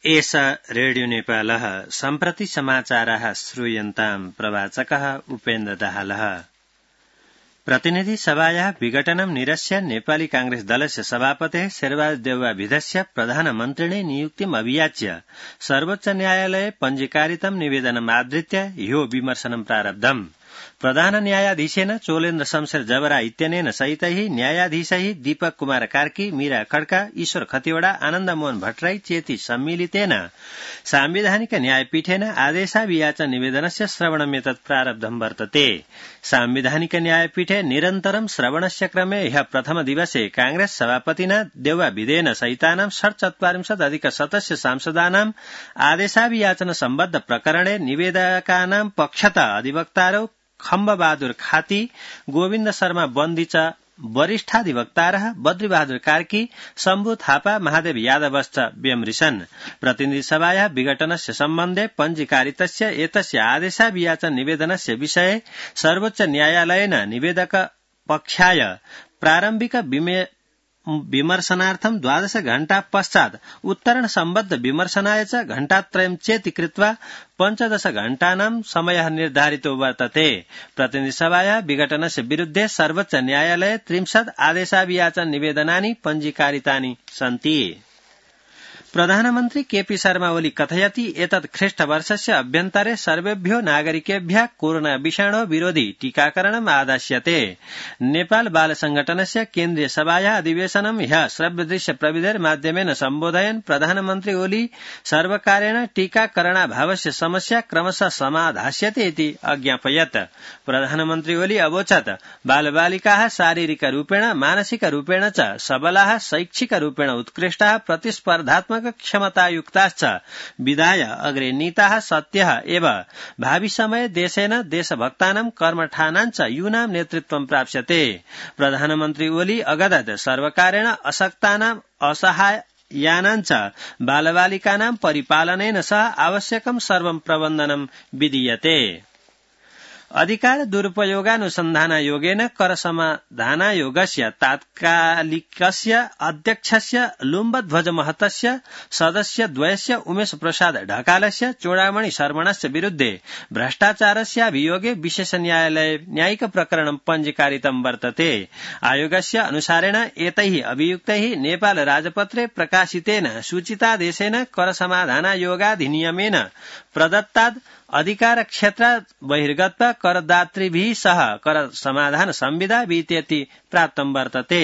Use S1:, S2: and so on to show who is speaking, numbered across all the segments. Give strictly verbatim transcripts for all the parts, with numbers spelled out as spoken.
S1: एष रेडियो नेपालः सम्प्रति समाचाराः श्रूयन्ताम् प्रवाचकः उपेन्द्र दाहालः। प्रतिनिधि सभायाः विघटनं निरस्य नेपाली कांग्रेस दलस्य सभापतेः शेरबहादुर देउवाविधस्य प्रधानमन्त्रिणे नियुक्तिम् अभियाच्य सर्वोच्च न्यायालये पञ्जीकारितं निवेदनम् आधृत्य ह्यो विमर्शनं प्रारब्धम्। प्रधान न्यायाधीशेन चोलेन्द्र शमशेर जबरा इत्यनेन सहितैः न्यायाधीशैः दीपक कुमार कार्की, मीरा खड्का, ईश्वर खतिवड़ा, आनन्द मोहन भट्टराई चेति सम्मिलितेन सांविधानिक न्यायपीठेन आदेशाभियाचन निवेदनस्य श्रवणमेतत् प्रारब्धं वर्तते। सांविधानिक न्यायपीठे निरन्तरं श्रवणस्य क्रमे ह्यः प्रथम दिवसे कांग्रेस सभापतिना देउवाविधेन सहितानां षट्चत्वारिंशत् अधिक सदस्य सांसदानां आदेशाभियाचन सम्बद्ध प्रकरणे निवेदकानां पक्षतः अधिवक्तारौ खम्बबहादुर खाती, गोविन्द शर्मा बन्दी च वरिष्ठाधिवक्तारः बद्रीबहादुर कार्की, शम्भु थापा, महादेव यादवश्च व्यमृशन्। प्रतिनिधिसभायाः विघटनस्य सम्बन्धे पञ्जीकारितस्य एतस्य आदेशाभियाचन निवेदनस्य विषये सर्वोच्च न्यायालयेन निवेदक पक्षाय प्रारम्भिक विमर्शनार्थं द्वादश घण्टा पश्चात् उत्तरण सम्बद्ध विमर्शनाय च घण्टात्रयं चेति कृत्वा पञ्चदश घण्टानां समयः निर्धारितो वर्तते। प्रतिनिधिसभायाः विघटनस्य विरुद्धे सर्वोच्च न्यायालये त्रिंशत् आदेशाभियाचन निवेदनानि पञ्जीकारितानि सन्ति। प्रधानमन्त्री केपी शर्मा ओली कथयति एतत् ख्रीष्टवर्षस्य अभ्यन्तरे सर्वेभ्यो नागरिकेभ्यः कोरोना विषाणो विरोधि टीकाकरणम् आदास्यते। नेपाल बाल संगठनस्य केन्द्रीय सभायाः अधिवेशनं ह्यः श्रव्यदृश्य प्रविधेर माध्यमेन सम्बोधयन् प्रधानमन्त्री ओली सर्वकारेण टीकाकरणाभावस्य समस्या क्रमशः समाधास्यते इति अज्ञापयत्। प्रधानमन्त्री ओली अवोचत् बालबालिकाः शारीरिक रूपेण मानसिक रूपेण च सबलाः, शैक्षिक रूपेण उत्कृष्टाः, प्रतिस्पर्धात्मक क्षमतायुक्ताश्च विधाय अग्रे नीताः सत्यः एव भावि समये देशेन देशभक्तानां कर्मठानाञ्च यूनां नेतृत्वं प्राप्स्यते। प्रधानमन्त्री ओली अगदत् सर्वकारेण अशक्तानां असहायानाञ्च बालबालिकानां परिपालनेन सह आवश्यकं सर्वं प्रबन्धनं विधीयते। अधिकार दुरुपयोगानुसन्धानायोगेन कर समाधानायोगस्य तात्कालिकस्य अध्यक्षस्य लुम्बध्वज महतस्य सदस्यद्वयस्य उमेश प्रसाद ढकालस्य चूडामणि शर्मणस्य विरुद्धे भ्रष्टाचारस्याभियोगे विशेष न्यायालये न्यायिक प्रकरणं पञ्जीकारितं वर्तते। आयोगस्य अनुसारेण एतैः अभियुक्तैः नेपाल राजपत्रे प्रकाशितेन सूचितादेशेन कर समाधानायोगाधिनियमेन प्रदत्तात् अधिकार क्षेत्रात् बहिर्गत्वा करदातृभिः सह कर समाधान संविदा वित्यति प्राप्तं वर्तते।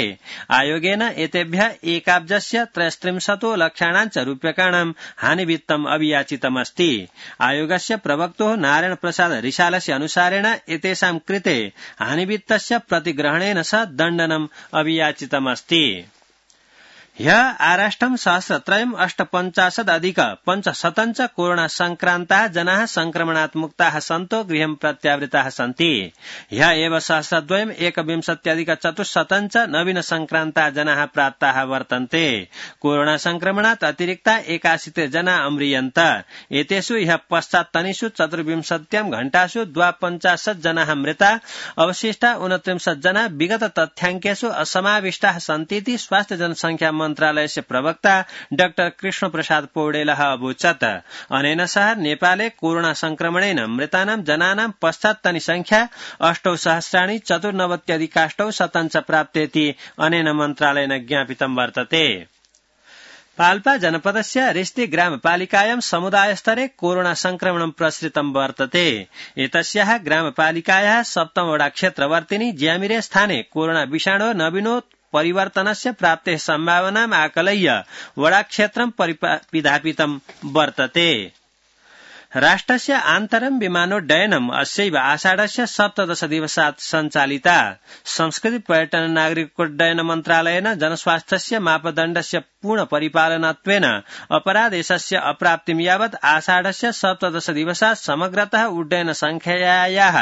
S1: आयोगेन एतेभ्यः एकाब्जस्य त्रयस्त्रिंशतो लक्षाणाञ्च रूप्यकाणां हानिवित्तम् अभियाचितमस्ति। आयोगस्य प्रवक्तुः नारायण प्रसाद रिसालस्य अनुसारेण एतेषां कृते हानिवित्तस्य प्रतिग्रहणेन सह दण्डनम् अभियाचितमस्ति। ह्यः आराष्टं सहस्रत्रयम् अष्टपञ्चाशदधिक पञ्चशतञ्च कोरोना संक्रान्ताः जनाः संक्रमणात् मुक्ताः सन्तो गृहं प्रत्यावृताः सन्ति। ह्यः एव सहस्रद्वयम् एकविंशत्यधिक चतुश्शतञ्च नवीन संक्रान्ताः जनाः प्राप्ताः वर्तन्ते। कोरोना संक्रमणात् अतिरिक्ता एकाशीते जना अम्रियन्त। एतेषु ह्यः पश्चात्तनीषु चतुर्विंशत्यां घण्टासु द्वापञ्चाशत् जनाः मृता, अवशिष्टा ऊनत्रिंशत् जना विगत तथ्याङ्केषु असमाविष्टाः सन्तीति स्वास्थ्य जनसंख्या मन्त्रालयस्य प्रवक्ता डाक्टर कृष्ण प्रसाद पौडेलः अवोचत्। अनेन सह नेपाले कोरोना संक्रमणेन मृतानां जनानां पश्चात्तनी संख्या अष्टौ सहस्राणि चतुर्नवत्यधिकाष्टौ शतञ्च प्राप्तेति अनेन मन्त्रालयेन ज्ञापितं वर्तते। पाल्पा जनपदस्य रिस्ती ग्रामपालिकायां समुदायस्तरे कोरोना संक्रमणं प्रसृतं वर्तते। एतस्याः ग्रामपालिकायाः सप्तम वडा क्षेत्रवर्तिनि ज्यामिरे स्थाने कोरोना विषाणो नवीनो परिवर्तनस्य प्राप्तेः सम्भावनाम् आकलय्य वडाक्षेत्रं परिपिधापितं वर्तते। राष्ट्रस्य आन्तरं विमानोड्डयनम् अस्यैव आषाढस्य सप्तदश दिवसात् सञ्चालिता। संस्कृति पर्यटन नागरिकोड्डयन मन्त्रालयेन जनस्वास्थ्यस्य मापदण्डस्य पूर्ण परिपालनत्वेन अपरादेशस्य अप्राप्तिं यावत् आषाढस्य सप्तदश दिवसात् समग्रतः उड्डयन संख्यायाः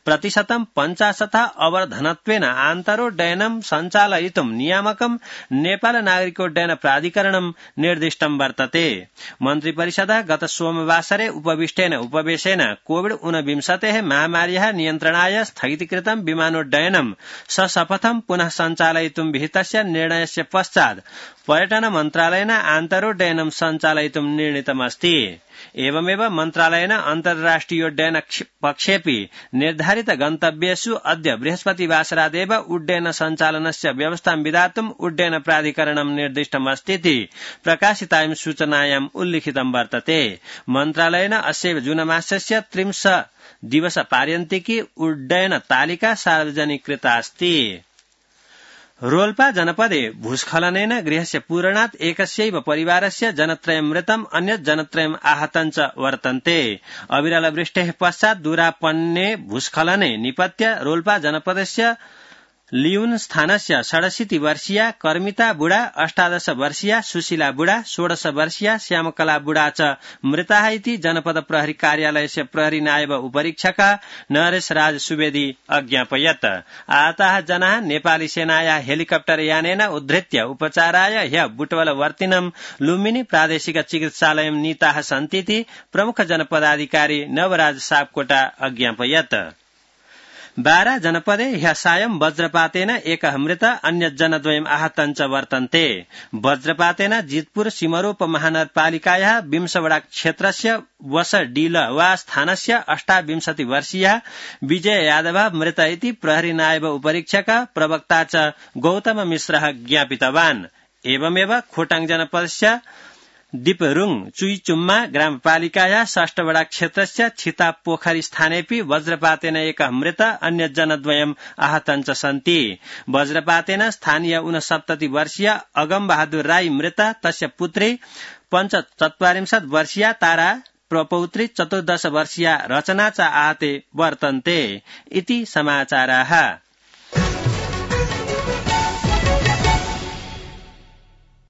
S1: प्रतिशतं पञ्चाशतः अवर्धनत्वेन आन्तरोड्डयनं सञ्चालयितुं नियामकं नेपाल नागरिकोड्डयन प्राधिकरणं निर्दिष्टं वर्तते। मन्त्रिपरिषदः गत सोमवासरे उपविष्टेन उपवेशेन कोविड ऊनविंशतेः महामार्याः नियन्त्रणाय स्थगितीकृतं विमानोड्डयनं सशपथं पुनः सञ्चालयितुं विहितस्य निर्णयस्य पश्चात् पर्यटन मन्त्रालयेन आन्तरोड्डयनं सञ्चालयितुं निर्णीतमस्ति। एवमेव मन्त्रालयेन अन्तर्राष्ट्रियोड्डयन पक्षेऽपि निर्धारित गन्तव्येषु अद्य बृहस्पतिवासरादेव उड्डयन सञ्चालनस्य व्यवस्थां विधातुं उड्डयन प्राधिकरणं निर्दिष्टमस्तीति प्रकाशितायां सूचनायाम् उल्लिखितं वर्तते। मन्त्रालयेन अस्यैव जूनमासस्य त्रिंश दिवस पार्यन्तिकी उड्डयन तालिका सार्वजनिकृता अस्ति। रोल्पा जनपदे भूस्खलनेन गृहस्य पूरणात् एकस्यैव परिवारस्य जनत्रयं मृतम् अन्यत् जनत्रयम् आहतं च वर्तन्ते। अविरल वृष्टेः पश्चात् दूरापन्ने भूस्खलने निपत्य रोल्पा जनपदस्य लियून स्थानस्य षडशीति वर्षीया कर्मिता बुढा, अष्टादश वर्षीया सुशीला बुढा, षोडश वर्षीया श्यामकला बुढा च मृताः इति जनपद प्रहरी कार्यालयस्य प्रहरी नायब उपरीक्षक नरेश राज सुवेदी अज्ञापयत्। आहताः जनाः नेपाली सेनाया हेलिकप्टर यानेन उद्धृत्य उपचाराय ह्य बुटवलवर्तिनं लुम्बिनी प्रादेशिक चिकित्सालयं नीताः सन्तीति प्रमुख जनपदाधिकारी नवराज सापकोटा अज्ञापयत्। बारा जनपदे ह्यः सायं वज्रपातेन एकः मृत अन्यत् जनद्वयम् आहतं च वर्तन्ते। वज्रपातेन जितपुर सिमरोप महानगरपालिकायाः विंशवड़ा क्षेत्रस्य वसडीलवा स्थानस्य अष्टाविंशति वर्षीयः विजय यादवः मृत इति प्रहरी नायब उपरीक्षक प्रवक्ता च गौतम मिश्रः ज्ञापितवान्। एवमेव खोटाङ जनपदस्य दीपरुङ चुईचुम्मा ग्रामपालिकाया षष्ठवड़ा क्षेत्रस्य छितापोखरी स्थानेऽपि वज्रपातेन एकः मृत अन्यत् जनद्वयम् आहतं च सन्ति। वज्रपातेन स्थानीय ऊनसप्तति वर्षीय अगम बहादुर राई मृत, तस्य पुत्री पञ्चचत्वारिंशत् वर्षीया तारा, प्रपौत्री चतुर्दश वर्षीया रचना च आहते वर्तन्ते इति समाचाराः।